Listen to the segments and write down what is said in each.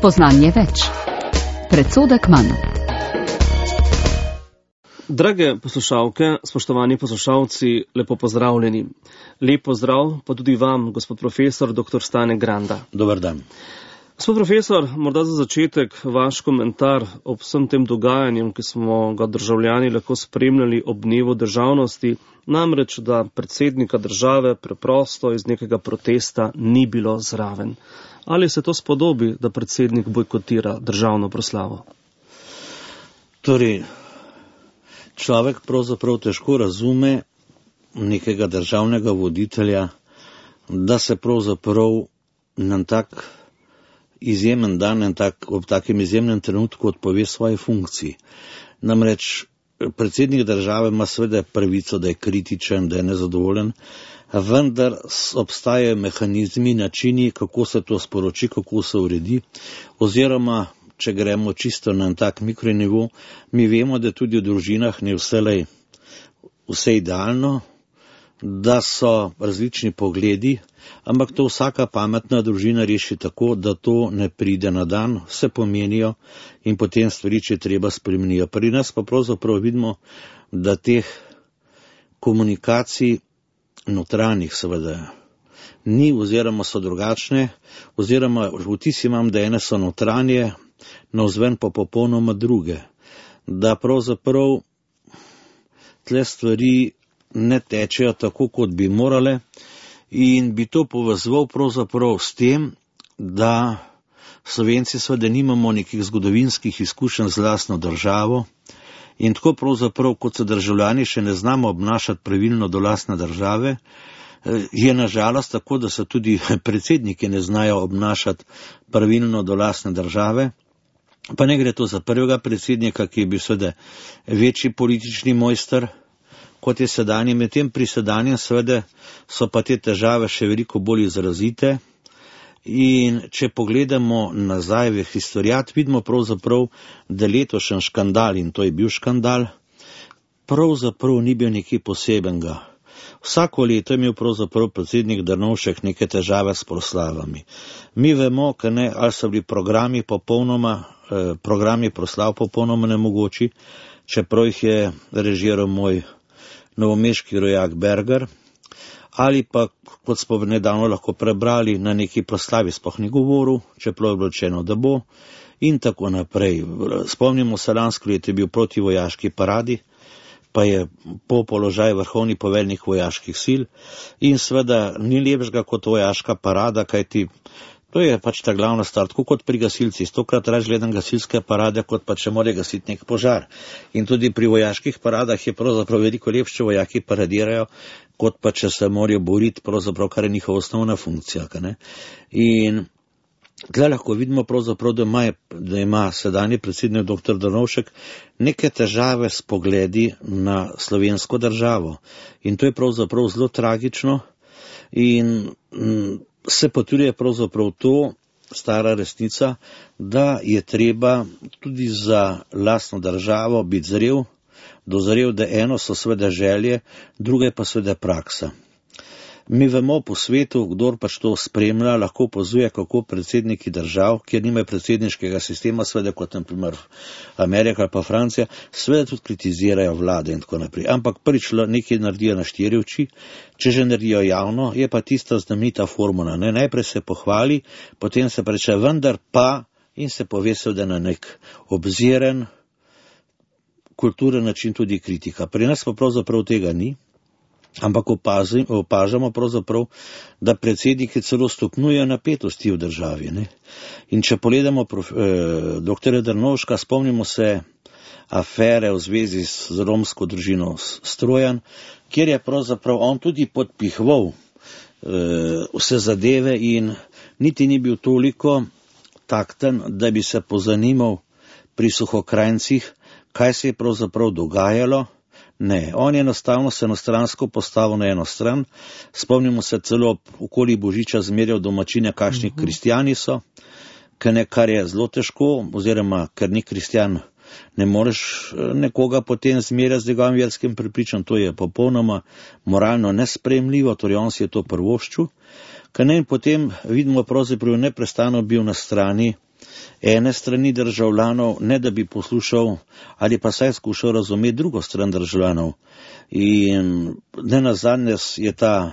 Spoznanje več. Predsodek manj. Drage poslušalke, spoštovani poslušalci, lepo pozdravljeni. Lep pozdrav pa tudi vam, gospod profesor dr. Stane Granda. Dobar dan. Gospod profesor, morda za začetek vaš komentar ob vsem tem dogajanjem, ki smo ga državljani lahko spremljali ob dnevu državnosti, namreč, da predsednika države preprosto iz nekega protesta ni bilo zraven. Ali se to spodobi, da predsednik bojkotira državno proslavo? Torej, človek pravzaprav težko razume nekega državnega voditelja, da se pravzaprav na tak izjemen dan, ob takem izjemnem trenutku odpove svoje funkciji. Namreč predsednik države ima seveda pravico, da je kritičen, da je nezadovoljen, vendar obstajajo mehanizmi, načini, kako se to sporoči, kako se uredi, oziroma če gremo čisto na tak mikronivo, mi vemo, da tudi v družinah ni vse idealno, da so različni pogledi, ampak to vsaka pametna družina reši tako, da to ne pride na dan, vse pomenijo in potem stvari, če treba, spremenijo. Pri nas pa pravzaprav vidimo, da teh komunikacij notranjih seveda ni, oziroma so drugačne, oziroma vtis imam, da ene so notranje, navzven pa popolnoma druge. Da pravzaprav tle stvari ne tečejo tako, kot bi morale, in bi to povezoval pravzaprav s tem, da Slovenci seveda nimamo nekih zgodovinskih izkušenj z lastno državo in tako pravzaprav, kot se državljani še ne znamo obnašati pravilno do lastne države, je nažalost tako, da se tudi predsedniki ne znajo obnašati pravilno do lastne države. Pa ne gre to za prvega predsednika, ki je bil seveda večji politični mojster, kot je sedanji. Medtem pri sedanjem seveda so pa te težave še veliko bolj izrazite. In če pogledamo nazaj v historijat, vidimo pravzaprav, da letošnji škandal, in to je bil škandal, pravzaprav ni bil nekaj posebenega. Vsako leto je imel pravzaprav predsednik Drnovšek neke težave s proslavami. Mi vemo, ali so bili programi proslav popolnoma nemogoči, čeprav jih je režiral moj novomeški rojak Berger, ali pa, kot smo nedavno lahko prebrali, na neki proslavi sploh ni govoril, čeprav je bilo rečeno, da bo, in tako naprej. Spomnimo se, lansko leto je bil proti vojaški paradi, pa je po položaju vrhovni poveljnik vojaških sil, in seveda ni lepšega kot vojaška parada, kajti to je pač ta glavna stvar, tako kot pri gasilcih. 100krat raje gledam gasilske parade, kot pa če mora gasiti nek požar. In tudi pri vojaških paradah je pravzaprav veliko lepše, če vojaki paradirajo, kot pa če se morajo boriti, pravzaprav, kar je njihova osnovna funkcija. In tukaj lahko vidimo pravzaprav, da ima sedanji predsednik dr. Drnovšek neke težave s pogledi na slovensko državo. In to je pravzaprav zelo tragično in se potrjuje pravzaprav to, stara resnica, da je treba tudi za lastno državo biti dozrel, da eno so seveda želje, druge pa seveda praksa. Mi vemo po svetu, kdor pač to spremlja, lahko opazuje, kako predsedniki držav, kjer nimajo predsedniškega sistema, seveda kot na primer Amerika ali pa Francija, seveda tudi kritizirajo vlade in tako naprej. Ampak prvič nekaj naredijo na 4 oči, če že naredijo javno, je pa tista znamenita formula. Najprej se pohvali, potem se reče vendar pa, in se pove seveda na nek obziren, kulturen način tudi kritika. Pri nas pa pravzaprav tega ni. Ampak opažamo pravzaprav, da predsedniki celo stopnjujejo napetosti v državi. In če pogledamo dr. Drnovška, spomnimo se afere v zvezi z romsko družino Strojan, kjer je pravzaprav on tudi podpihoval vse zadeve in niti ni bil toliko takten, da bi se pozanimal pri Suhokrajncih, kaj se je pravzaprav dogajalo. Ne, on je enostavno se enostransko postavil na eno stran. Spomnimo se celo okoli Božiča zmerjal domačine, kakšni kristjani so, kar je zelo težko, oziroma ker ni kristjan, ne moreš nekoga potem zmerjati z njegovim verskim prepričanjem, to je popolnoma moralno nesprejemljivo, torej on si je to prvoščil. In potem vidimo pravzaprav neprestano bil na strani ene strani državljanov, ne da bi poslušal ali pa saj skušal razumeti drugo stran državljanov. In nenazadnje je ta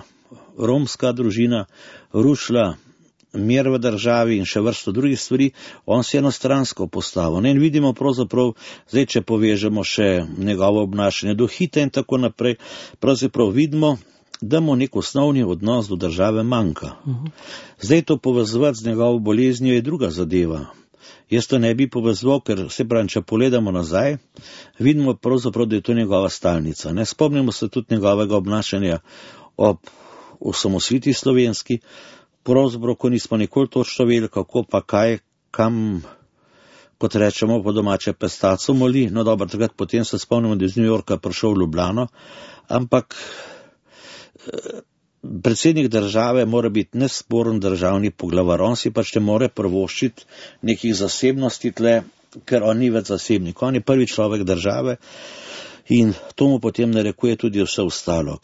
romska družina rušila mir v državi in še vrsto drugih stvari, on se enostransko postavil. In vidimo pravzaprav, zdaj če povežemo še njegovo obnašanje do Hita in tako naprej, pravzaprav vidimo, da mu nek osnovni odnos do države manjka. Zdaj to povezovati z njegovo boleznijo je druga zadeva. Jaz to ne bi povezval, ker se pravi, če pogledamo nazaj, vidimo pravzaprav, da je to njegova stalnica. Ne? Spomnimo se tudi njegovega obnašanja ob osamosvojitvi slovenski, pravzaprav, ko nismo nikoli točno vedeli, kako pa kaj, kam, kot rečemo po domače, pestaco moli. No dobro, takrat potem se spomnimo, da je iz New Yorka prišel v Ljubljano, ampak predsednik države mora biti nesporen državni poglavar, on si pač ne more privoščiti nekih zasebnosti tle, ker on ni več zasebnik, on je prvi človek države in to mu potem narekuje tudi vse ostalo.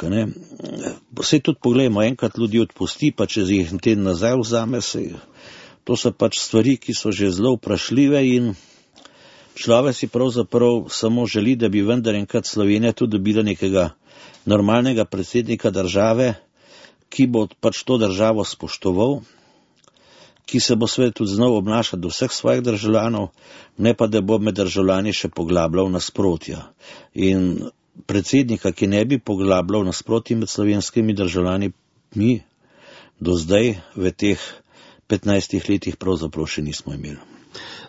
Sej tudi pogledamo, enkrat ljudi odpusti, pa če jih teden nazaj vzame, to so pač stvari, ki so že zelo vprašljive in človek si pravzaprav samo želi, da bi vendar enkrat Slovenija tudi dobila nekega normalnega predsednika države, ki bo pač to državo spoštoval, ki se bo seveda tudi znal obnašati do vseh svojih državljanov, ne pa da bo med državljani še poglabljal nasprotja. In predsednika, ki ne bi poglabljal nasprotja med slovenskimi državljani, mi do zdaj v teh 15 letih pravzaprav še nismo imeli.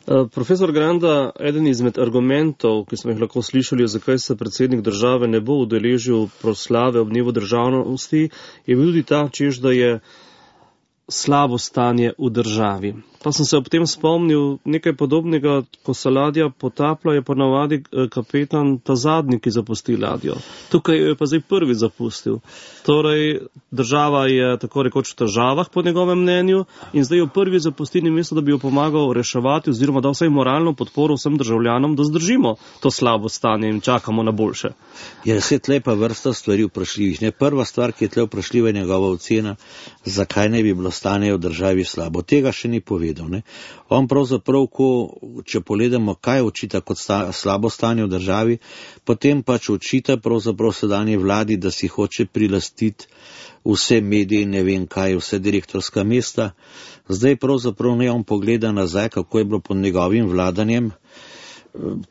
Profesor Granda, eden izmed argumentov, ki smo jih lahko slišali, zakaj se predsednik države ne bo udeležil proslave ob dnevu državnosti, je bil tudi ta, češ, da je slabo stanje v državi. Pa sem se ob tem spomnil nekaj podobnega, ko se ladja potaplja, je ponavadi kapetan ta zadnji, ki zapusti ladjo. Tukaj je pa zdaj prvi zapustil. Torej, država je tako rekoč v težavah po njegovem mnenju in zdaj jo prvi zapusti, namesto da bi jo pomagal reševati oziroma dal vsaj moralno podporo vsem državljanom, da zdržimo to slabo stanje in čakamo na boljše. Je se tle pa vrsta stvari vprašljivih. Prva stvar, ki je tle vprašljiva, je njegova ocena, zakaj ne bi bilo stanje v državi slabo. Tega še ni povedal. On pravzaprav, če pogledamo, kaj očita kot slabo stanje v državi, potem pač očita pravzaprav sedanji vladi, da si hoče prilastiti vse medije in ne vem kaj, vse direktorska mesta. Zdaj pravzaprav ne on pogleda nazaj, kako je bilo pod njegovim vladanjem.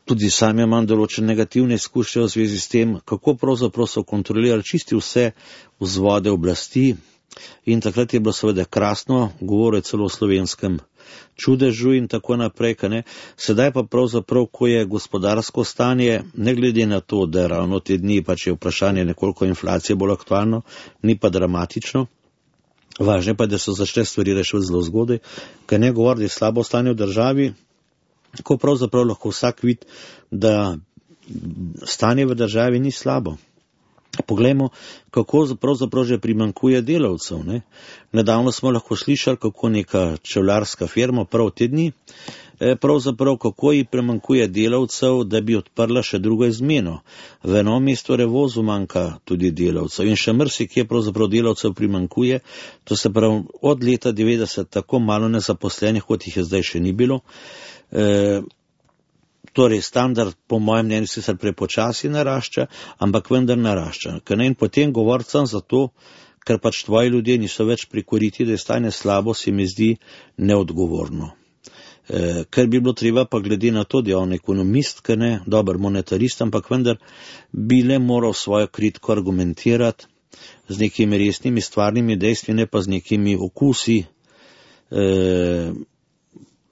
Tudi sam imam določene negativne izkušnje v zvezi s tem, kako pravzaprav so kontrolirali čisti vse vzvode oblasti. In takrat je bilo seveda krasno, govoril celo o slovenskem čudežu in tako naprej. Sedaj pa pravzaprav, ko je gospodarsko stanje, ne glede na to, da ravno te dni pač je vprašanje nekoliko inflacije bolj aktualno, ni pa dramatično. Važno pa je, da so začele stvari rešiti zelo zgodaj, ker ne govori, da je slabo stanje v državi, ko pravzaprav lahko vsak vidi, da stanje v državi ni slabo. Poglejmo, kako pravzaprav že primanjkuje delavcev. Nedavno smo lahko slišali, kako neka čevljarska firma prav te dni, pravzaprav kako ji primanjkuje delavcev, da bi odprla še drugo izmeno. V enom mestu Revozu manjka tudi delavcev in še marsikje pravzaprav delavcev primanjkuje. To se pravi, od leta 90 tako malo nezaposlenih, kot jih je zdaj še ni bilo. Torej, standard, po mojem mnenju, sicer prepočasi narašča, ampak vendar narašča. In potem govoriti sem zato, ker pač tvoji ljudje niso več prikoriti, da je stanje slabo, se mi zdi neodgovorno. Ker bi bilo treba pa glede na to, da je on ekonomist, ker ne, dober monetarist, ampak vendar bi le moral svojo kritiko argumentirati z nekimi resnimi stvarnimi dejstvi, ne pa z nekimi okusi,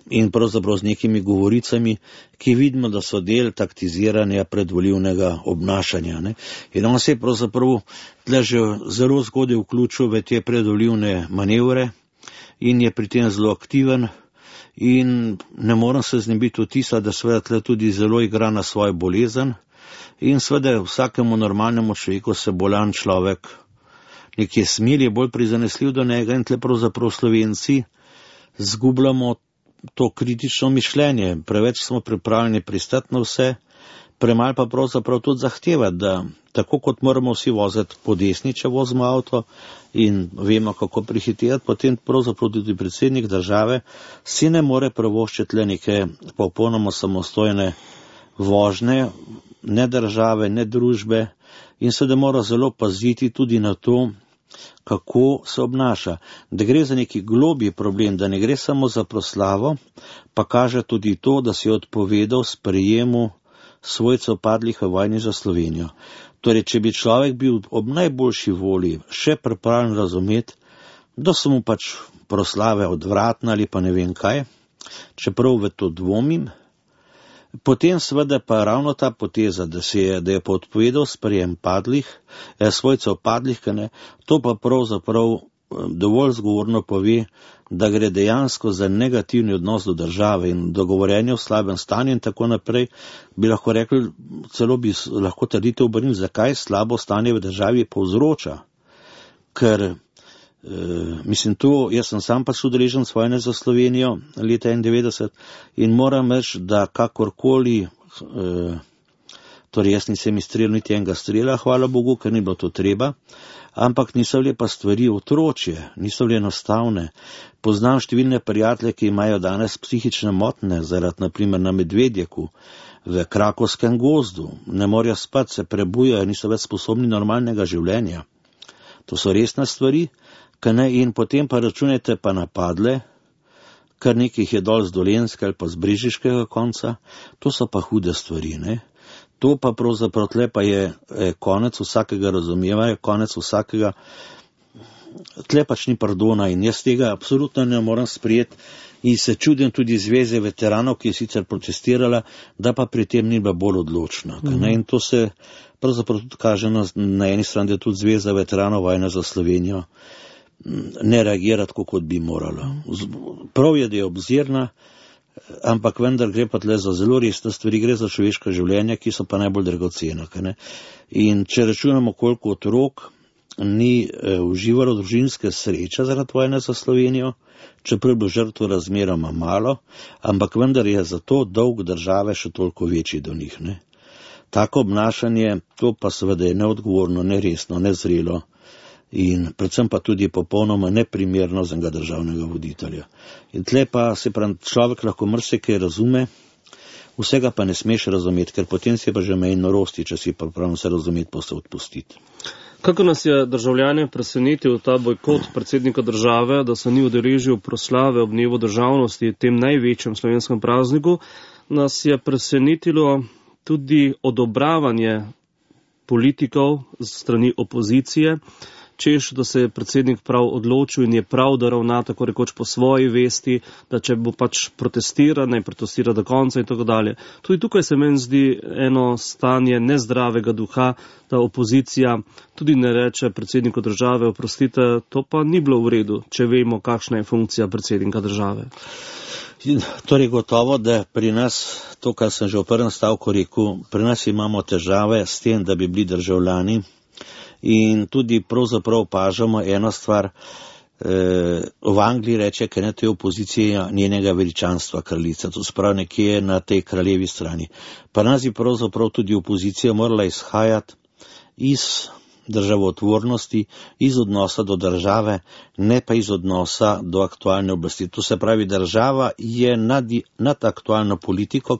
in pravzaprav z nekimi govoricami, ki vidimo, da so del taktiziranja predvolivnega obnašanja. In on se je pravzaprav tle že zelo zgodaj vključil v te predvolivne manevre in je pri tem zelo aktiven in ne moram se znebiti vtisa, da seveda tle tudi zelo igra na svojo bolezen in seveda vsakemu normalnemu človeku se bolan človek nekje smili, je bolj prizanesljiv do njega in tle pravzaprav Slovenci zgubljamo to kritično mišljenje. Preveč smo pripravljeni pristati na vse, Premalo pa pravzaprav tudi zahteva, da tako kot moramo vsi voziti po desni, če vozimo avto in vemo, kako prihiteti, potem pravzaprav tudi predsednik države si ne more privoščiti le neke popolnoma samostojne vožnje, ne države, ne družbe, in seveda mora zelo paziti tudi na to, kako se obnaša. Da gre za neki globlji problem, da ne gre samo za proslavo, pa kaže tudi to, da si je odpovedal sprejemu svojcev padlih v vojni za Slovenijo. Torej, če bi človek bil ob najboljši volji še pripravljen razumeti, da so mu pač proslave odvratne ali pa ne vem kaj, čeprav v to dvomim, potem seveda pa ravno ta poteza, da je pa odpovedal sprejem svojcev padlih, to pa pravzaprav dovolj zgovorno pove, da gre dejansko za negativni odnos do države in dogovorjenje v slabem stanju in tako naprej, bi lahko rekli, celo bi lahko trditev obrnili, zakaj slabo stanje v državi povzroča. Ker, jaz sem sam pač udeležen vojne za Slovenijo leta 1991 in moram reči, da kakorkoli, torej jaz nisem izstrelil niti enega strela, hvala Bogu, ker ni bilo to treba, ampak niso bile pa stvari otročje, niso bile enostavne. Poznam številne prijatelje, ki imajo danes psihične motnje, zaradi naprimer na Medvedjeku, v Krakovskem gozdu, ne morejo spati, se prebujajo, niso več sposobni normalnega življenja. To so resne stvari, in potem pa računajte pa napadle, kar nekih je dol z Dolenjske ali pa z Brežiškega konca, to so pa hude stvari, ne. To pa pravzaprav tle pa je konec vsakega razumevanja, konec vsakega, tle pač ni pardona in jaz tega absolutno ne moram sprejeti in se čudim tudi Zveze veteranov, ki je sicer protestirala, da pa pri tem ni bila bolj odločna. In to se pravzaprav tudi kaže na eni strani, da tudi Zveza veteranov vojne za Slovenijo ne reagira tako, kot bi morala. Prav je, da je obzirna, ampak vendar gre pa tle za zelo resne stvari, gre za človeška življenja, ki so pa najbolj dragocena. In če računamo, koliko otrok ni uživalo družinske sreče zaradi vojne za Slovenijo, čeprav je bilo žrtvo razmeroma malo, ampak vendar je zato dolg države še toliko večji do njih. Tako obnašanje, to pa seveda je neodgovorno, neresno, nezrelo in predvsem pa tudi popolnoma neprimerno za enega državnega voditelja. In tle pa se pravi, človek lahko marsikaj razume, vsega pa ne smeš razumeti, ker potem si pa že meji norosti, če si pa pravno se razumeti, pa se odpustiti. Kako nas je državljane presenetil ta bojkot predsednika države, da se ni udeležil proslave ob dnevu državnosti, tem največjem slovenskem prazniku, nas je presenetilo tudi odobravanje politikov z strani opozicije, češ, da se je predsednik prav odločil in je prav, da ravna tako rekoč po svoji vesti, da če bo pač protestiral, naj protestira do konca in tako dalje. Tudi tukaj se meni zdi eno stanje nezdravega duha, da opozicija tudi ne reče predsedniku države, oprostite, to pa ni bilo v redu, če vemo, kakšna je funkcija predsednika države. Torej gotovo, da pri nas, to kar sem že v prvem stavku rekel, pri nas imamo težave s tem, da bi bili državljani. In tudi pravzaprav opažamo eno stvar, v Angliji reče, ker to je opozicija njenega veličanstva kraljica, to sprav nekje na tej kraljevi strani. Pa nas je pravzaprav tudi opozicija morala izhajati iz državotvornosti, iz odnosa do države, ne pa iz odnosa do aktualne oblasti. To se pravi, država je nad aktualno politiko,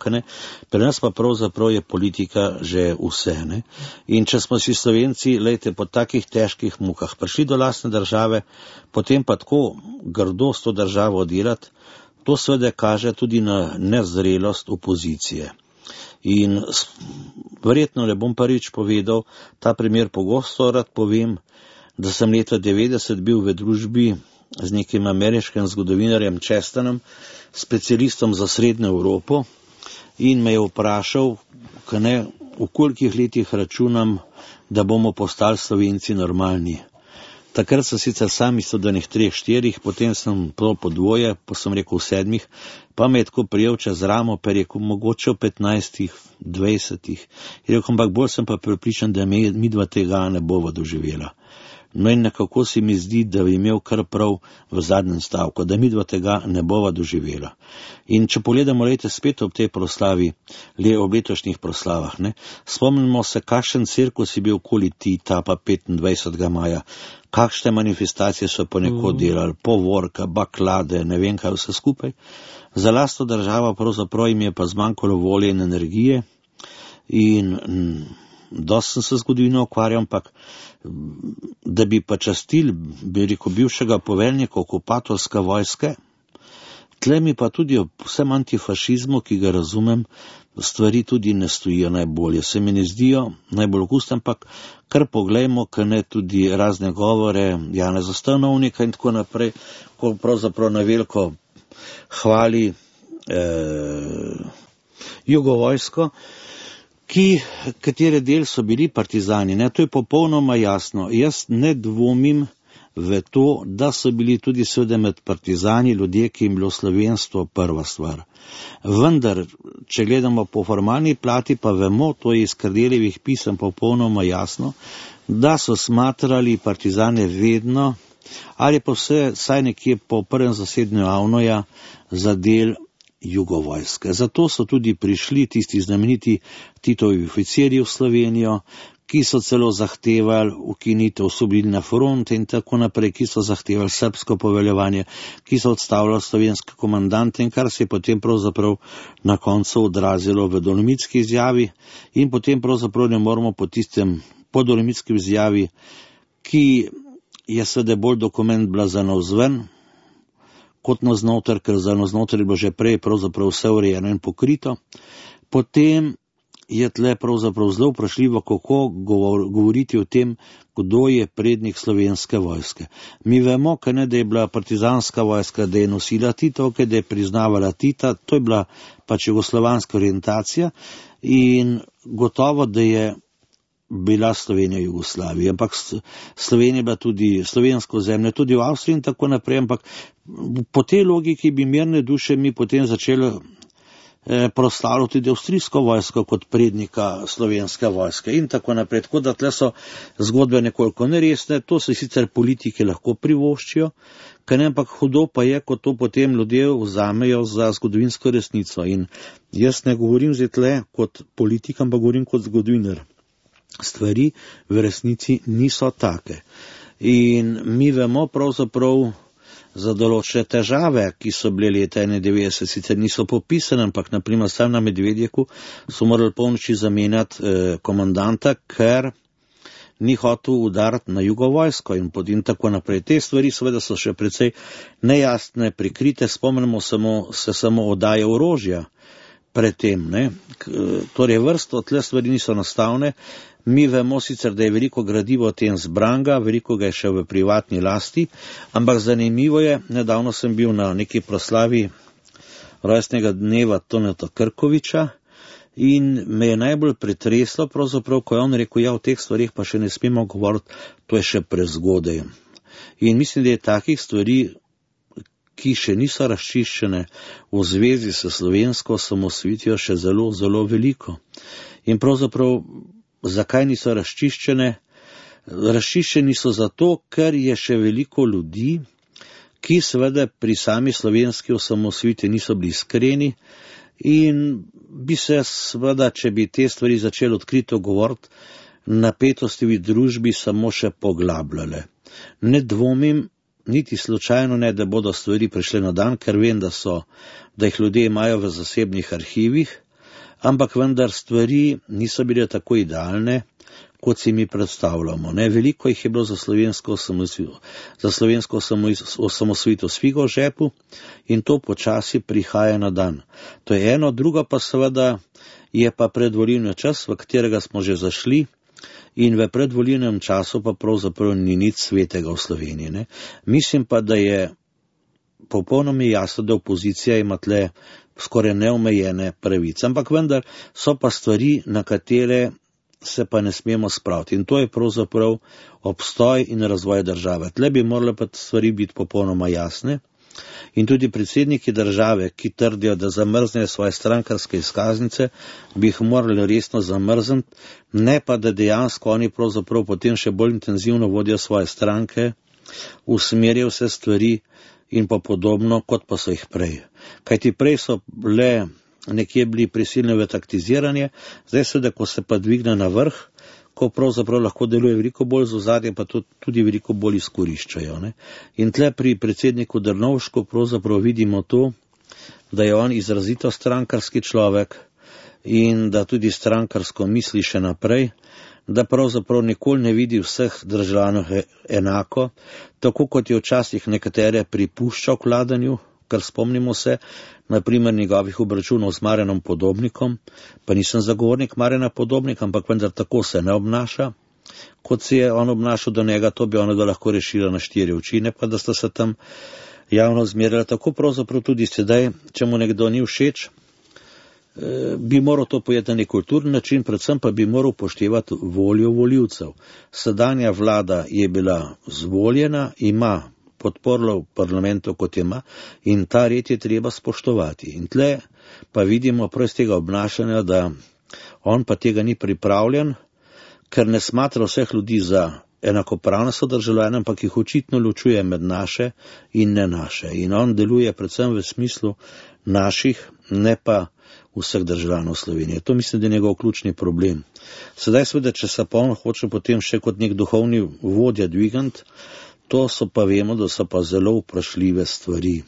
pri nas pa pravzaprav je politika že vse. In če smo si Slovenci, po takih težkih mukah prišli do lastne države, potem pa tako grdo s to državo delati, to seveda kaže tudi na nezrelost opozicije. In verjetno ne bom prvič povedal, ta primer pogosto rad povem, da sem leta 90 bil v družbi z nekim ameriškim zgodovinarjem Chesternom, specialistom za Srednjo Evropo, in me je vprašal, v kolikih letih računam, da bomo postali Slovenci normalni. Takrat sem sicer sam mislil, da 3-4, potem sem po dvoje, pa sem rekel 7, pa me je tako prijel čez ramo, pa je rekel, mogoče v 15, 20. Je rekel, ampak bolj sem pa prepričan, da mi dva tega ne bova doživela. No in nekako se mi zdi, da bi imel kar prav v zadnjem stavku, da midva tega ne bova doživela. In če pogledamo, lejte, spet ob tej proslavi, ob letošnjih proslavah, ne, spomnimo se, kakšen cirkus je bil okoli Tita, pa 25. maja, kakšne manifestacije so ponekod delali, povorka, baklade, ne vem kaj vse skupaj. Za lastno državo pravzaprav jim je pa zmanjkalo volje in energije in dosti sem se zgodovino ukvarjal, ampak da bi pa častili, bi rekel, bivšega poveljnika okupatorske vojske, tle mi pa tudi ob vsem antifašizmu, ki ga razumem, stvari tudi ne stojijo najbolje. Se mi ne zdijo najbolj okusne, ampak kar poglejmo, ker ne tudi razne govore Janeza Stanovnika in tako naprej, ko pravzaprav na veliko hvali jugovojsko, katere del so bili partizani. Ne? To je popolnoma jasno. Jaz ne dvomim v to, da so bili tudi seveda med partizani ljudje, ki jim bilo slovenstvo prva stvar. Vendar, če gledamo po formalni plati, pa vemo, to je iz Kardeljevih pisem popolnoma jasno, da so smatrali partizane vedno, ali pa vsaj nekje po prvem zasedanju Avnoja za del jugovojske. Zato so tudi prišli tisti znameniti Titovi oficirji v Slovenijo, ki so celo zahtevali ukinitev Osvobodilne fronte in tako naprej, ki so zahtevali srbsko poveljevanje, ki so odstavljali slovenske komandante in kar se je potem pravzaprav na koncu odrazilo v dolomitski izjavi in potem pravzaprav ne moramo po dolomitski izjavi, ki je seveda bolj dokument bila za navzven, kot navznoter, ker za navznoter je bilo že prej pravzaprav vse urejeno in pokrito. Potem je tle pravzaprav zelo vprašljivo, kako govoriti o tem, kdo je prednik slovenske vojske. Mi vemo, da je bila partizanska vojska, da je nosila Titovke, da je priznavala Tita, to je bila pač jugoslovanska orientacija in gotovo, da je bila Slovenija Jugoslavija, ampak Slovenija je bila tudi slovensko zemlje, tudi v Avstriji in tako naprej, ampak po tej logiki bi mirne duše mi potem začeli proslavljati tudi avstrijsko vojsko kot prednika slovenske vojske in tako naprej. Tako da tle so zgodbe nekoliko neresne, to se sicer politike lahko privoščijo, ampak hudo pa je, ko to potem ljudje vzamejo za zgodovinsko resnico. In jaz ne govorim zdaj tle kot politik, ampak govorim kot zgodovinar. Stvari v resnici niso take. In mi vemo pravzaprav za določene težave, ki so bile leta 91, sicer niso popisane, ampak naprimer sam na Medvedjeku so morali polnoči zamenjati komandanta, ker ni hotel udariti na jugovojsko in tako naprej. Te stvari seveda so še precej nejasne, prikrite, spomnimo se samo oddaje orožja predtem, ne. Torej vrsto tle stvari niso nastavne. Mi vemo sicer, da je veliko gradivo o tem zbranga, veliko ga je še v privatni lasti, ampak zanimivo je, nedavno sem bil na neki proslavi rojstnega dneva Toneta Krkoviča in me je najbolj pretreslo pravzaprav, ko je on rekel, ja, o teh stvarih pa še ne smemo govoriti, to je še prezgodaj. In mislim, da je takih stvari, ki še niso razčiščene v zvezi s slovensko osamosvojitvijo, še zelo, zelo veliko. In pravzaprav zakaj niso razčiščene? Razčiščeni so zato, ker je še veliko ljudi, ki seveda pri sami slovenski osamosvojitvi niso bili iskreni in bi se seveda, če bi te stvari začeli odkrito govoriti, napetosti v družbi samo še poglabljale. Ne dvomim, niti slučajno ne, da bodo stvari prišle na dan, ker vem, da jih ljudje imajo v zasebnih arhivih, ampak vendar stvari niso bile tako idealne, kot si mi predstavljamo. Ne? Veliko jih je bilo za slovensko osamosvojitev s figo v žepu in to počasi prihaja na dan. To je eno, drugo pa seveda je pa predvolilni čas, v katerega smo že zašli in v predvolilnem času pa pravzaprav ni nič svetega v Sloveniji. Ne? Mislim pa, da je popolnoma jasno, da opozicija ima tle skoraj neomejene pravice, ampak vendar so pa stvari, na katere se pa ne smemo spraviti. In to je pravzaprav obstoj in razvoj države. Tle bi morale pa stvari biti popolnoma jasne In tudi predsedniki države, ki trdijo, da zamrznejo svoje strankarske izkaznice, bi jih morali resno zamrzniti, ne pa da dejansko oni pravzaprav potem še bolj intenzivno vodijo svoje stranke, usmerjajo vse stvari in pa podobno, kot pa so jih prej. Kajti prej so le nekje bili prisiljeni v taktiziranje, zdaj seveda, ko se pa dvigne na vrh, ko pravzaprav lahko deluje veliko bolj z ozadjem, pa tudi veliko bolj izkoriščajo. Ne? In tle pri predsedniku Drnovšku pravzaprav vidimo to, da je on izrazito strankarski človek in da tudi strankarsko misli še naprej, da pravzaprav nikoli ne vidi vseh državljanov enako, tako kot je včasih nekatere pripuščal k vladanju, kar spomnimo se, naprimer njegovih obračunov z Marjanom Podobnikom, pa nisem zagovornik Marjana Podobnika, ampak vendar tako se ne obnaša, kot se je on obnašal do njega, to bi ono da lahko rešila na 4 oči, ne pa da sta se tam javno zmerjala. Tako pravzaprav tudi sedaj, če mu nekdo ni všeč, bi moral to pojeti na nek kulturni način, predvsem pa bi moral upoštevati voljo volivcev. Sedanja vlada je bila zvoljena, ima podporlo v parlamentu, kot ima, in ta red je treba spoštovati. In tle pa vidimo prav iz tega obnašanja, da on pa tega ni pripravljen, ker ne smatra vseh ljudi za enakopravne sodržavljane, ampak jih očitno ločuje med naše in ne naše. In on deluje predvsem v smislu naših, ne pa vseh državljanov Slovenije. To mislim, da je njegov ključni problem. Sedaj seveda, če se pa on hoče potem še kot nek duhovni vodja dvigant, to so pa vemo, da so pa zelo vprašljive stvari.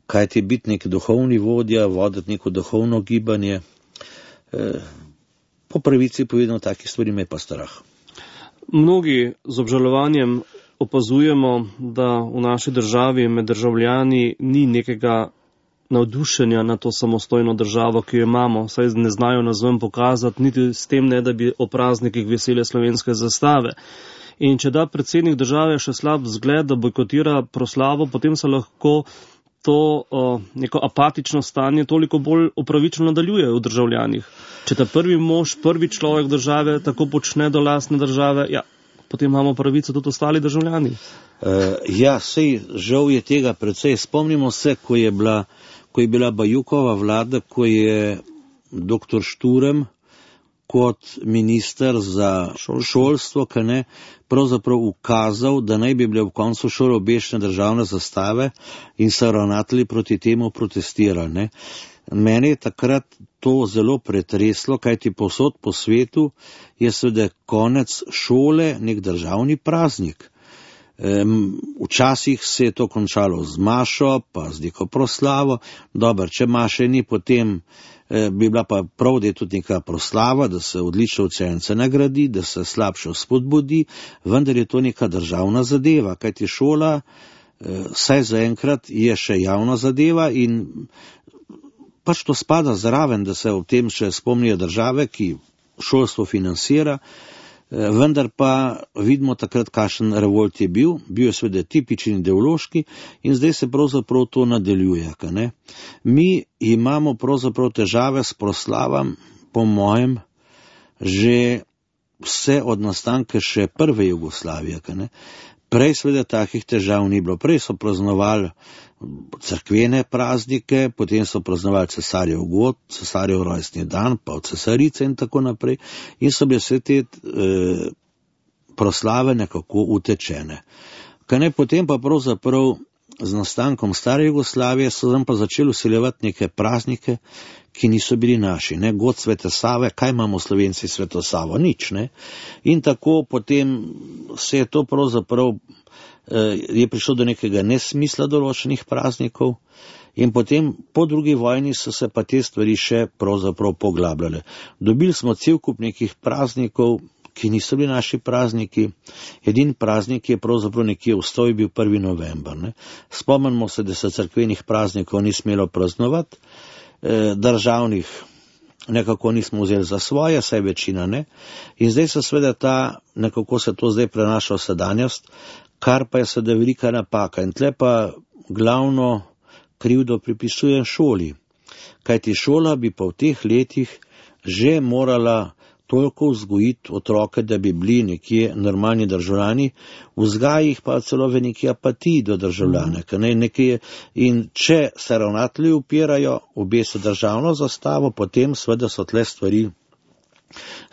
Kaj ti biti nek duhovni vodja, voditi neko duhovno gibanje, po pravici povedano, takih stvari me pa strah. Mnogi z obžalovanjem opazujemo, da v naši državi med državljani ni nekega navdušenja na to samostojno državo, ki jo imamo, saj ne znajo nazven pokazati, niti s tem ne, da bi o praznikih vesele slovenske zastave. In če da predsednik države še slab vzgled, da bojkotira proslavo, potem se lahko to neko apatično stanje toliko bolj upravičeno nadaljuje v državljanih. Če ta prvi mož, prvi človek države tako počne do lastne države, ja, potem imamo pravico tudi ostali državljani. Sej žal je tega precej. Spomnimo se, ko je bila Bajukova vlada, ko je dr. Šturm kot minister za šolstvo, pravzaprav ukazal, da naj bi bile v koncu šole obešene državne zastave in so ravnatelji proti temu protestirali. Ne. Mene je takrat to zelo pretreslo, kajti povsod po svetu je seveda konec šole nek državni praznik. Včasih se je to končalo z mašo, pa z neko proslavo. Dobro, če maše ni, potem bi bila pa prav, da je tudi neka proslava, da se odlične učence nagradi, da se slabše spodbudi, vendar je to neka državna zadeva, kajti šola, saj zaenkrat je še javna zadeva in pač to spada zraven, da se v tem še spomnijo države, ki šolstvo financira, vendar pa vidimo takrat, kakšen revolt je bil je seveda tipičen ideološki in zdaj se pravzaprav to nadaljuje. Ne? Mi imamo pravzaprav težave s proslavam, po mojem, že vse od nastanka še prve Jugoslavije. Ne? Prej seveda takih težav ni bilo. Prej so praznovali cerkvene praznike, potem so praznovali cesarjev god, cesarjev rojstni dan, pa od cesarice in tako naprej. In so bile vse te proslave nekako utečene. Potem pa pravzaprav z nastankom stare Jugoslavije so nam pa začeli vsiljevati neke praznike, ki niso bili naši. Ne? God Svete Save, kaj imamo Slovenci Sveto Savo? Nič. Ne? In tako potem se je to pravzaprav je prišlo do nekega nesmisla določenih praznikov in potem po drugi vojni so se pa te stvari še pravzaprav poglabljale. Dobili smo cel kup nekih praznikov, ki niso bili naši prazniki. Edin praznik je pravzaprav nekje v stoji bil 1. november. Ne. Spomnimo se, da se cerkvenih praznikov ni smelo praznovati, državnih nekako nismo vzeli za svoje, saj večina ne. In zdaj se seveda nekako se to zdaj prenaša v sedanjost, kar pa je seveda velika napaka. In tle pa glavno krivdo pripisujem šoli. Kajti šola bi pa v teh letih že morala toliko vzgojiti otroke, da bi bili nekje normalni državljani, vzgaja jih pa celo v neki apatiji do državljane. In če se ravnatelji upirajo, obesijo državno zastavo, potem seveda so tle stvari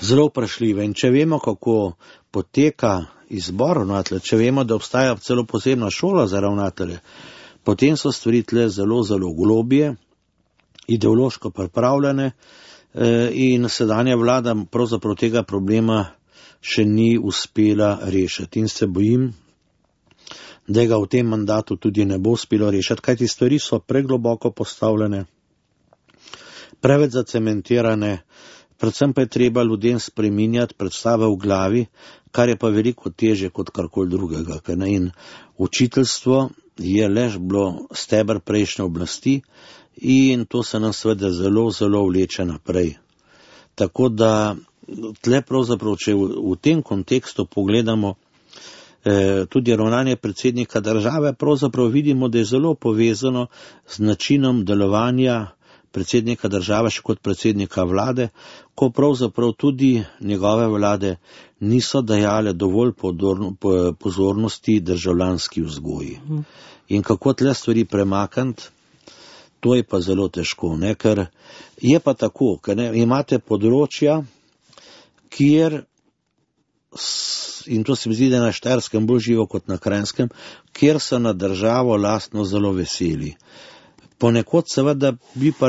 zelo vprašljive. In če vemo, kako poteka izbor ravnatelja, če vemo, da obstaja celo posebna šola za ravnatelje, potem so stvari tle zelo, zelo globje, ideološko pripravljene in sedanja vlada pravzaprav tega problema še ni uspela rešiti. In se bojim, da ga v tem mandatu tudi ne bo uspelo rešiti, kajti stvari so pregloboko postavljene, preveč zacementirane, predvsem pa je treba ljudem spreminjati predstave v glavi, kar je pa veliko teže kot karkoli drugega. In učiteljstvo je le bilo steber prejšnje oblasti in to se nam seveda zelo, zelo vleče naprej. Tako da tle pravzaprav, če v tem kontekstu pogledamo tudi ravnanje predsednika države, pravzaprav vidimo, da je zelo povezano z načinom delovanja predsednika države še kot predsednika vlade, ko pravzaprav tudi njegove vlade niso dajale dovolj pozornosti državljanski vzgoji. In kako tle stvari premakniti, to je pa zelo težko, ker je pa tako, imate področja, kjer, in to se mi zdi, da na Štajerskem bolj živo kot na Kranjskem, kjer so na državo lastno zelo veseli. Ponekod seveda bi pa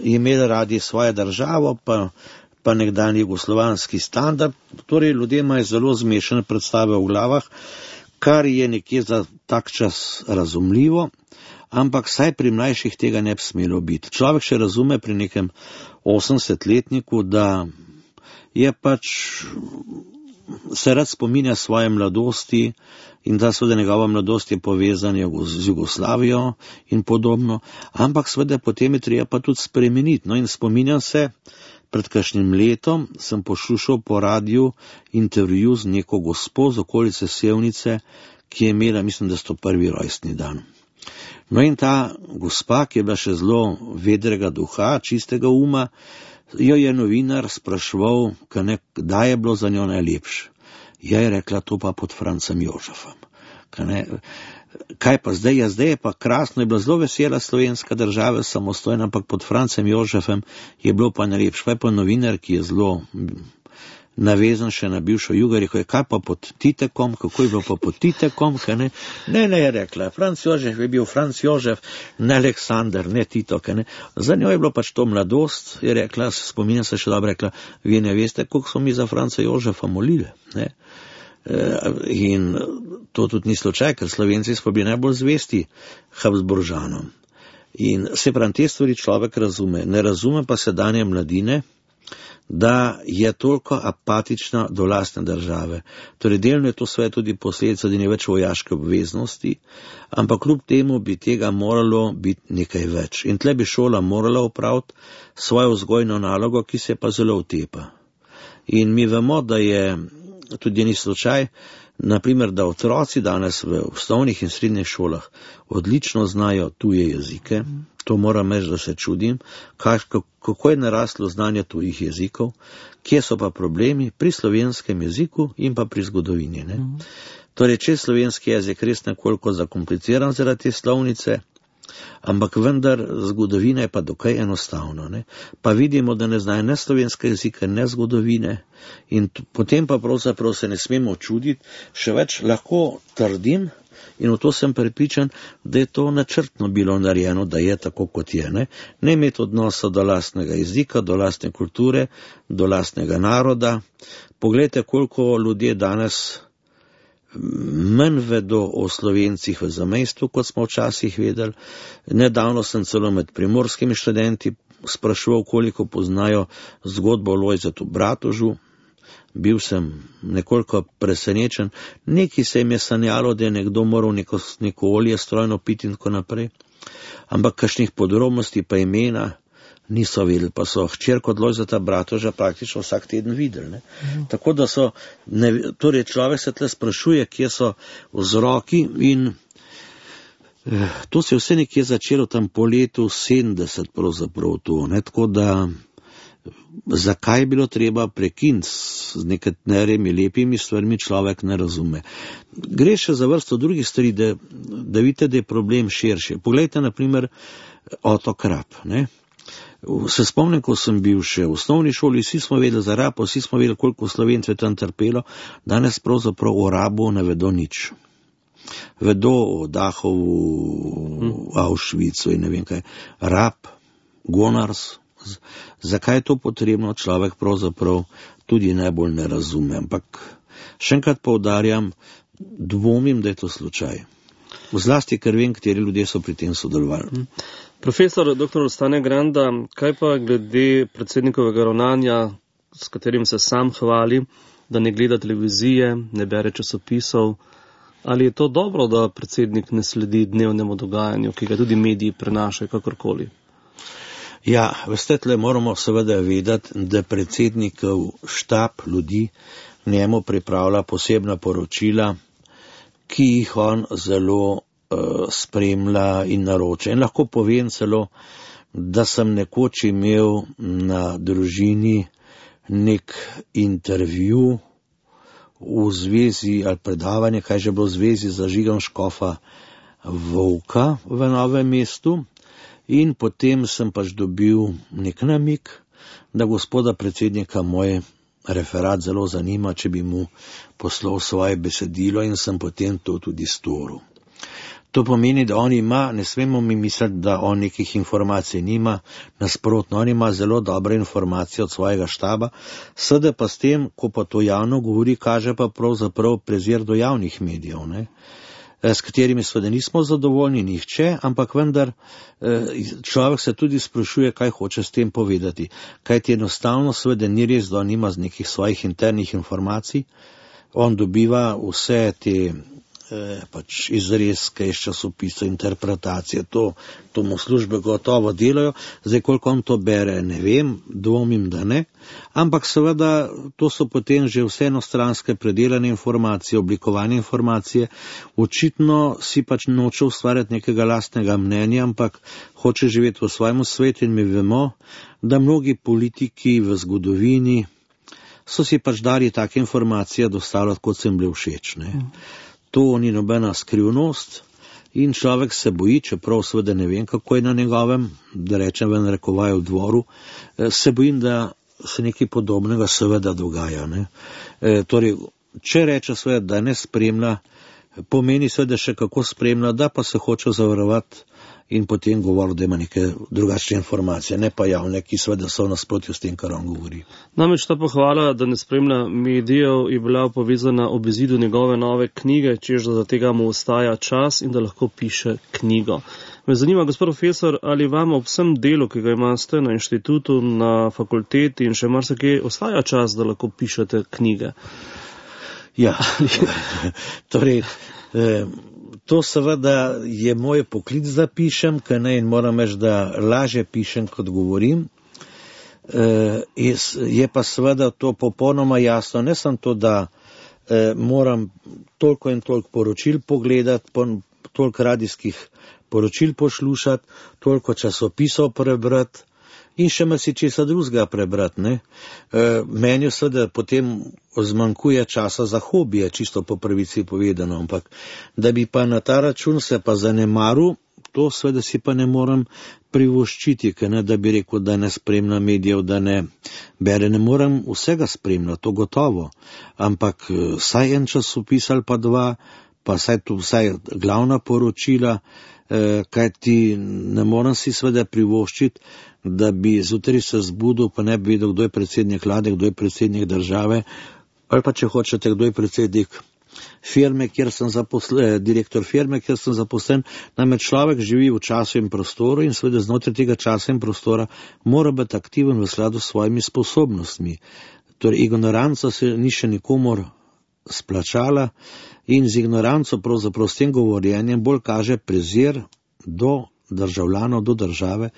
imeli radi svojo državo, pa nekdanji jugoslovanski standard, torej ljudje imajo zelo zmešane predstave v glavah, kar je nekje za tak čas razumljivo, ampak saj pri mlajših tega ne bi smelo biti. Človek še razume pri nekem 80-letniku, da je se rad spominja svoje mladosti in da seveda njegova mladost je povezana z Jugoslavijo in podobno, ampak seveda potem je treba pa tudi spremeniti. In spominjam se, pred kakšnim letom sem poslušal po radiju intervju z neko gospo z okolice Sevnice, ki je imela, mislim, da 101. rojstni dan. In ta gospa, ki je bila še zelo vedrega duha, čistega uma, jo je novinar spraševal, kdaj je bilo za njo najlepše. Je rekla, to pa pod Francem Jožefom. Kaj pa zdaj? Zdaj je pa krasno, je bila zelo vesela slovenska država, samostojna, ampak pod Francem Jožefom je bilo pa najlepše. Pa je pa novinar, ki je zelo navezan še na bivšo Jugo, rekel je, kaj pa pod Titekom, kako je bilo pa pod Titekom, Ne, je rekla, Franc Jožef je bil Franc Jožef, ne Aleksander, ne Tito, Za njo je bilo pač to mladost, je rekla, spominja se še dobro, rekla, vi ne veste, koliko smo mi za Franca Jožefa molili, In to tudi ni slučaj, ker Slovenci smo bili najbolj zvesti Habsburžanom. In se pravi, te stvari človek razume, ne razume pa sedanje mladine, da je toliko apatična do lastne države. Torej, delno je to sve tudi posledica, da ni več vojaške obveznosti, ampak kljub temu bi tega moralo biti nekaj več. In tle bi šola morala opraviti svojo vzgojno nalogo, ki se pa zelo utepa. In mi vemo, da je tudi ni slučaj, naprimer, da otroci danes v osnovnih in srednjih šolah odlično znajo tuje jezike. To moram reči, da se čudim, kako je naraslo znanje tujih jezikov, kje so pa problemi pri slovenskem jeziku in pa pri zgodovini. Torej, če je slovenski jezik res nekoliko zakompliciran zaradi te slovnice, ampak vendar zgodovina je pa dokaj enostavno. Pa vidimo, da ne znajo ne slovenske jezike, ne zgodovine in potem pa pravzaprav se ne smemo čuditi, še več lahko trdim, in v to sem prepričan, da je to načrtno bilo narejeno, da je tako, kot je. Ne imeti odnosa do lastnega jezika, do lastne kulture, do lastnega naroda. Poglejte, koliko ljudje danes manj vedo o Slovencih v zamejstvu, kot smo včasih vedeli. Nedavno sem celo med primorskimi študenti spraševal, koliko poznajo zgodbo o Lojzetu Bratožu. Bil sem nekoliko presenečen, nekaj se jim je sanjalo, da je nekdo moral neko olje strojno piti in tako naprej, ampak kakšnih podrobnosti pa imena niso videli, pa so hčerko od Lojzeta Bratoža praktično vsak teden videli. Tako da torej človek se tle sprašuje, kje so vzroki in to se je vse nekje začelo tam po letu 70 pravzaprav to, tako da zakaj je bilo treba prekiniti z nekaterimi lepimi stvarmi, človek ne razume. Gre še za vrsto drugih stvari, da vidite, da je problem širši. Poglejte, na primer, otok Rab, ne? Se spomnim, ko sem bil še v osnovni šoli, vsi smo vedeli za Rab, vsi smo vedeli, koliko Slovencev je tam trpelo, danes pravzaprav o Rabu ne vedo nič. Vedo o Dachovu, Auschwitzu in ne vem kaj. Rab, Gonars, zakaj je to potrebno, človek pravzaprav tudi najbolj ne razume. Ampak še enkrat poudarjam, dvomim, da je to slučaj. Zlasti, ker vem, kateri ljudje so pri tem sodelovali. Profesor dr. Stane Granda, kaj pa glede predsednikovega ravnanja, s katerim se sam hvali, da ne gleda televizije, ne bere časopisov, ali je to dobro, da predsednik ne sledi dnevnemu dogajanju, ki ga tudi mediji prenašajo kakorkoli? Ja, veste, tle moramo seveda vedeti, da predsednikov štab ljudi njemu pripravlja posebna poročila, ki jih on zelo spremlja in naroča. In lahko povem celo, da sem nekoč imel na Družini nek intervju v zvezi ali predavanje, kaj že bilo v zvezi z Žigom Škofa Volka v Novem mestu, in potem sem pač dobil nek namig, da gospoda predsednika moj referat zelo zanima, če bi mu poslal svoje besedilo, in sem potem to tudi storil. To pomeni, da on ima, ne smemo mi misliti, da on nekih informacij nima, nasprotno, on ima zelo dobre informacije od svojega štaba, sedaj pa s tem, ko pa to javno govori, kaže pa pravzaprav prezir do javnih medijev, ne? S katerimi seveda nismo zadovoljni nihče, ampak vendar človek se tudi sprašuje, kaj hoče s tem povedati. Kajti enostavno seveda ni res, da on nima z nekih svojih internih informacij, on dobiva vse te pač izrezke iz časopisov, interpretacije, to mu službe gotovo delajo. Zdaj, koliko on to bere, ne vem, dvomim, da ne, ampak seveda to so potem že vse enostranske predelane informacije, oblikovane informacije. Očitno si pač noče ustvarjati nekega lastnega mnenja, ampak hoče živeti v svojem svetu, in mi vemo, da mnogi politiki v zgodovini so si pač dali take informacije dostavljati, kot se jim bile všeč, ne. To ni nobena skrivnost in človek se boji, čeprav seveda ne vem, kako je na njegovem, da rečem v narekovaju dvoru, se bojim, da se nekaj podobnega seveda dogaja, ne. Torej, če reče seveda, da ne spremlja, pomeni seveda še kako spremlja, da pa se hoče zavarovati in potem govori, da ima neke drugačne informacije, ne pa javne, ki seveda so v nasprotju s tem, kar on govori. Namreč ta pohvala, da ne spremlja medijev, je bila povezana ob izidu njegove nove knjige, čež da za tega mu ostaja čas in da lahko piše knjigo. Me zanima, gospod profesor, ali vam ob vsem delu, ki ga imate na inštitutu, na fakulteti in še marsikje, ostaja čas, da lahko pišete knjige? Ja, torej, to seveda je moj poklic, da pišem, ker ne, in moram reči, da lažje pišem, kot govorim. Je pa seveda to popolnoma jasno, ne samo to, da moram toliko in toliko poročil pogledati, toliko radijskih poročil poslušati, toliko časopisov prebrati in še marsičesa drugega prebrati, ne. Meni seveda potem zmanjkuje časa za hobije, čisto po pravici povedano, ampak da bi pa na ta račun se pa zanemaril, to seveda si pa ne morem privoščiti, ker ne, da bi rekel, da ne spremlja medijev, da ne bere, ne morem vsega spremljati, to gotovo, ampak saj en časopis ali pa dva, pa vsaj glavna poročila, kajti ne morem si seveda privoščiti, da bi zjutraj se zbudil, pa ne bi vedel, kdo je predsednik vlade, kdo je predsednik države, ali pa če hočete, kdo je predsednik firme, kjer sem direktor firme, kjer sem zaposlen. Namreč človek živi v času in prostoru in seveda znotraj tega časa in prostora mora biti aktiven v skladu s svojimi sposobnostmi. Torej, ignoranca se ni še nikomor splačala in z ignoranco, pravzaprav s tem govorjenjem, bolj kaže prezir do državljanov, do države,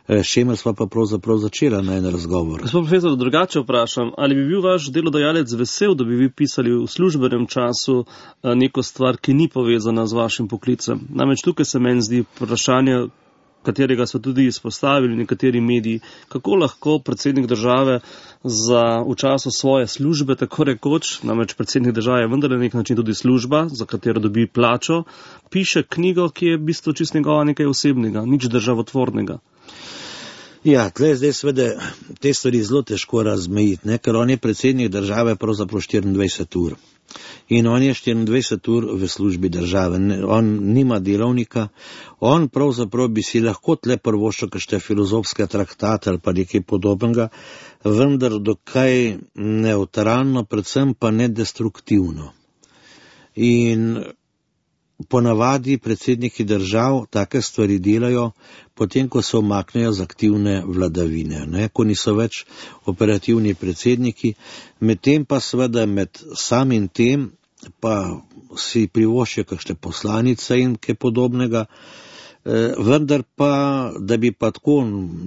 s čimer sva pa pravzaprav začela na en razgovor. Gospod profesor, drugače vprašam, ali bi bil vaš delodajalec vesel, da bi vi pisali v službenem času neko stvar, ki ni povezana z vašim poklicem? Namreč tukaj se meni zdi vprašanje, katerega so tudi izpostavili nekateri mediji, kako lahko predsednik države v času svoje službe, tako rekoč, namreč predsednik države je vendar na nek način tudi služba, za katero dobi plačo, piše knjigo, ki je v bistvu čist njegova nekaj osebnega, nič državotvornega. Ja, tle zdaj seveda te stvari zelo težko razmejiti, ker on je predsednik države pravzaprav 24 ur. In on je 24 ur v službi države, on nima delovnika, on pravzaprav bi si lahko tle prvoščil kakšne filozofske traktate ali pa nekaj podobnega, vendar dokaj neutralno, predvsem pa nedestruktivno. In ponavadi predsedniki držav take stvari delajo, potem ko se umaknejo z aktivne vladavine, ko niso več operativni predsedniki, medtem pa seveda med samim tem pa si privoščijo kakšne poslanice in kaj podobnega, vendar pa, da bi pa tako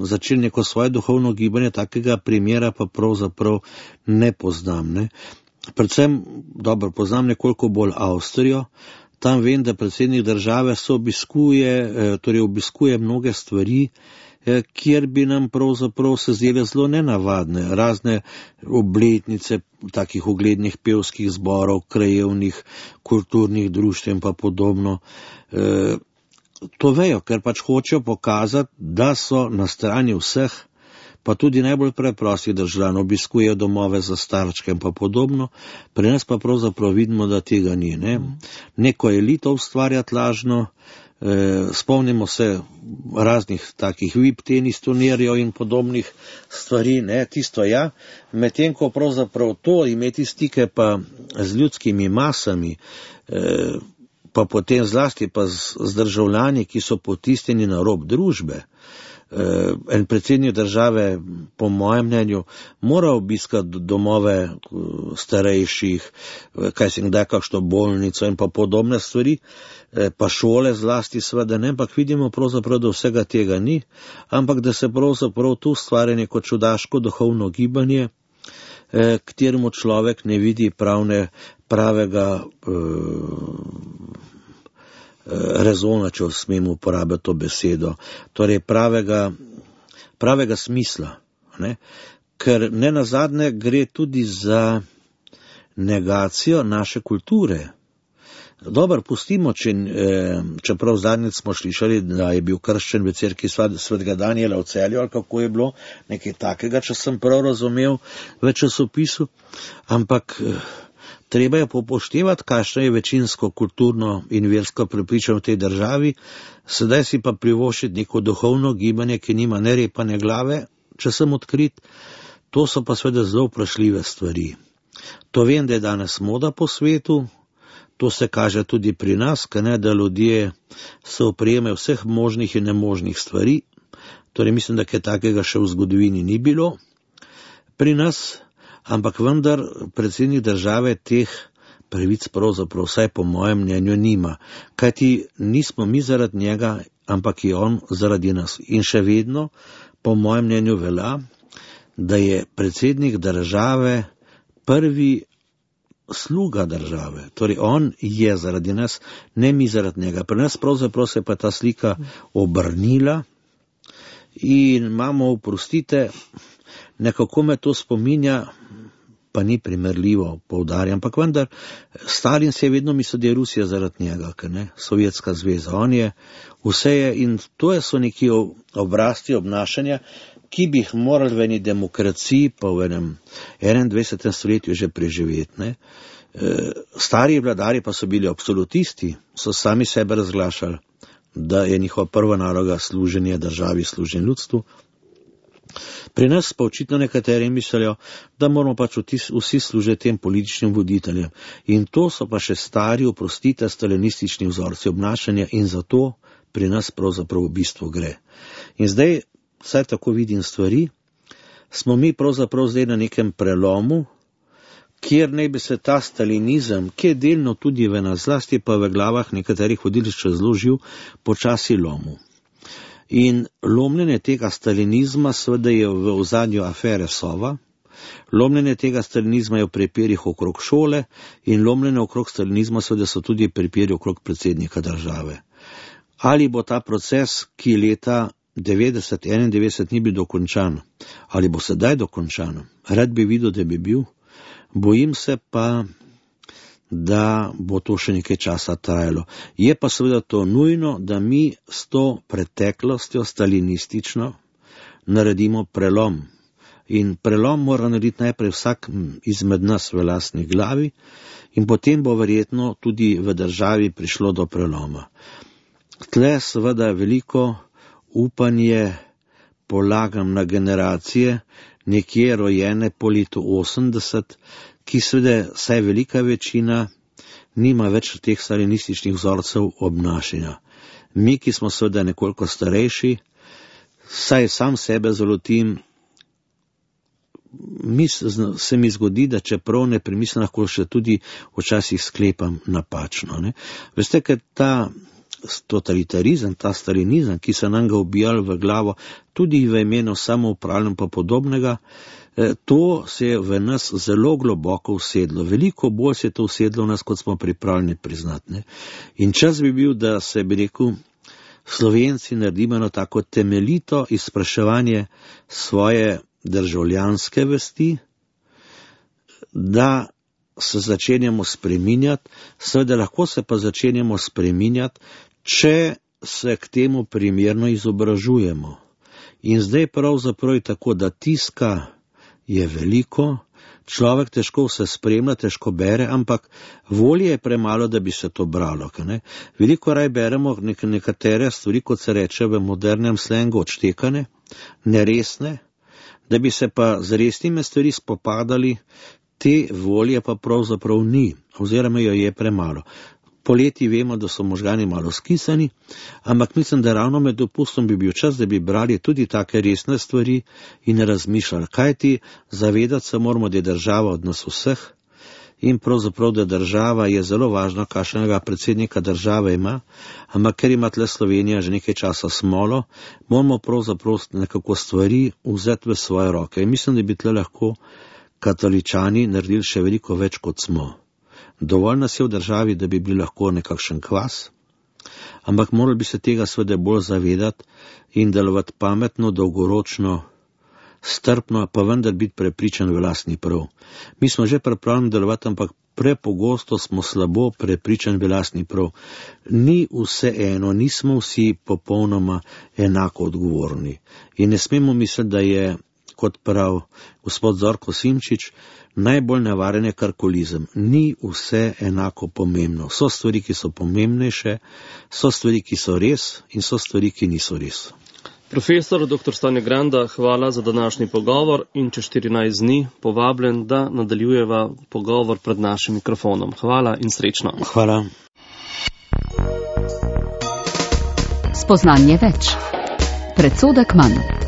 začeli neko svoje duhovno gibanje, takega primera pa pravzaprav ne poznam. Predvsem, dobro, poznam nekoliko bolj Avstrijo. Tam vem, da predsednik države obiskuje mnoge stvari, kjer bi nam pravzaprav se zdele zelo nenavadne, razne obletnice takih uglednih pevskih zborov, krajevnih, kulturnih društev in pa podobno. To vejo, ker pač hočejo pokazati, da so na strani vseh, pa tudi najbolj preprostih državljanov, obiskujejo domove za starčke in pa podobno, pri nas pa pravzaprav vidimo, da tega ni. Neko elito ustvarjati lažno, spomnimo se raznih takih VIP tenis turnirjev in podobnih stvari, tisto ja, medtem ko pravzaprav to imeti stike pa z ljudskimi masami, pa potem zlasti pa z državljani, ki so potisnjeni na rob družbe. En predsednik države, po mojem mnenju, mora obiskati domove starejših, kaj se kdaj kakšno bolnico in pa podobne stvari, pa šole zlasti seveda ne, ampak vidimo pravzaprav, da vsega tega ni, ampak da se pravzaprav tu ustvarja neko čudaško duhovno gibanje, kateremu človek ne vidi pravega rezona, če smemo uporabiti to besedo, torej pravega smisla, ker nenazadnje gre tudi za negacijo naše kulture. Dobro, pustimo, čeprav zadnjič smo slišali, da je bil krščen v cerkvi svetega Danijela v Celju, ali kako je bilo, nekaj takega, če sem prav razumel v časopisu, ampak treba je popoštevati, kakšno je večinsko kulturno in versko prepričanje v tej državi, sedaj si pa privoščiti neko duhovno gibanje, ki nima ne repa ne glave, če sem odkrit, to so pa seveda zelo vprašljive stvari. To vem, da je danes moda po svetu, to se kaže tudi pri nas, da ljudje se oprijemajo vseh možnih in nemožnih stvari, torej mislim, da kaj takega še v zgodovini ni bilo pri nas, ampak vendar predsednik države teh pravic pravzaprav vsaj po mojem mnenju nima, kajti nismo mi zaradi njega, ampak je on zaradi nas. In še vedno, po mojem mnenju velja, da je predsednik države prvi sluga države, torej on je zaradi nas, ne mi zaradi njega. Pri nas pravzaprav se pa ta slika obrnila in imamo, oprostite, nekako me to spominja, pa ni primerljivo, poudarjam, ampak vendar Stalin se je vedno mislil, da je Rusija zaradi njega, Sovjetska zveza, on je, vse je, in to so neki obrazci obnašanja, ki bi jih morali v eni demokraciji pa v enem 21. stoletju že preživeti. Stari vladari pa so bili absolutisti, so sami sebe razglašali, da je njihova prva naloga služenje državi, služenje ljudstvu. Pri nas pa očitno nekateri mislijo, da moramo pač vsi služiti tem političnim voditeljem. In to so pa še stari, oprostite, stalinistični vzorci obnašanja in zato pri nas pravzaprav v bistvu gre. In zdaj, vsaj tako vidim stvari, smo mi pravzaprav zdaj na nekem prelomu, kjer naj bi se ta stalinizem, ki je delno tudi v nas, zlasti pa v glavah nekaterih voditeljev zelo živ, počasi lomil. In lomljenje tega stalinizma seveda je v ozadju afere Sova, lomljenje tega stalinizma je v prepirih okrog šole in lomljenje okrog stalinizma seveda so tudi prepiri okrog predsednika države. Ali bo ta proces, ki leta 90-91 ni bil dokončan, ali bo sedaj dokončan? Rad bi videl, da bi bil. Bojim se pa, da bo to še nekaj časa trajalo. Je pa seveda to nujno, da mi s to preteklostjo stalinistično naredimo prelom. In prelom mora narediti najprej vsak izmed nas v lastni glavi in potem bo verjetno tudi v državi prišlo do preloma. Tle seveda veliko upanje polagam na generacije, nekje rojene po letu 80, ki seveda saj velika večina nima več teh stalinističnih vzorcev obnašanja. Mi, ki smo seveda nekoliko starejši, saj sam sebe zalotim, se mi zgodi, da čeprav ne premislim, lahko še tudi včasih sklepam napačno. Ne? Veste, ker ta totalitarizem, ta stalinizem, ki so nam ga ubijali v glavo, tudi v imenu samoupravljanja pa podobnega, to se je v nas zelo globoko usedlo. Veliko bolj se je to usedlo v nas, kot smo pripravljeni priznati. Ne? In čas bi bil, da se bi rekel, Slovenci naredimo eno tako temeljito izpraševanje svoje državljanske vesti, da se začenjamo spreminjati, seveda lahko se pa začenjamo spreminjati, če se k temu primerno izobražujemo. In zdaj pravzaprav je tako, da tiska je veliko, človek težko vse spremlja, težko bere, ampak volje je premalo, da bi se to bralo. Ne? Veliko raj beremo nekatere stvari, kot se reče v modernem slengu, odštekane, neresne, da bi se pa z resnimi stvari spopadali, te volje pa pravzaprav ni, oziroma jo je premalo. Poleti vemo, da so možgani malo skisani, ampak mislim, da ravno med dopustom bi bil čas, da bi brali tudi take resne stvari in razmišljali. Kajti zavedati se moramo, da je država od nas vseh in pravzaprav, da država je zelo važna, kakšnega predsednika države ima, ampak ker ima tle Slovenija že nekaj časa smolo, moramo pravzaprav nekako stvari vzeti v svoje roke. In mislim, da bi tle lahko katoličani naredili še veliko več, kot smo. Dovolj nas je v državi, da bi bili lahko nekakšen kvas, ampak morali bi se tega seveda bolj zavedati in delovati pametno, dolgoročno, strpno, pa vendar biti prepričan v lastni prav. Mi smo že pripravljeni delovati, ampak prepogosto smo slabo prepričani v lastni prav. Ni vse eno, nismo vsi popolnoma enako odgovorni. In ne smemo misliti, da je, kot prav gospod Zorko Simčič, najbolj nevaren je karkolizem. Ni vse enako pomembno. So stvari, ki so pomembnejše, so stvari, ki so res in so stvari, ki niso res. Profesor dr. Stane Granda, hvala za današnji pogovor in čez 14 dni povabljen, da nadaljujeva pogovor pred našim mikrofonom. Hvala in srečno. Hvala. Spoznanje več. Predsodek manj.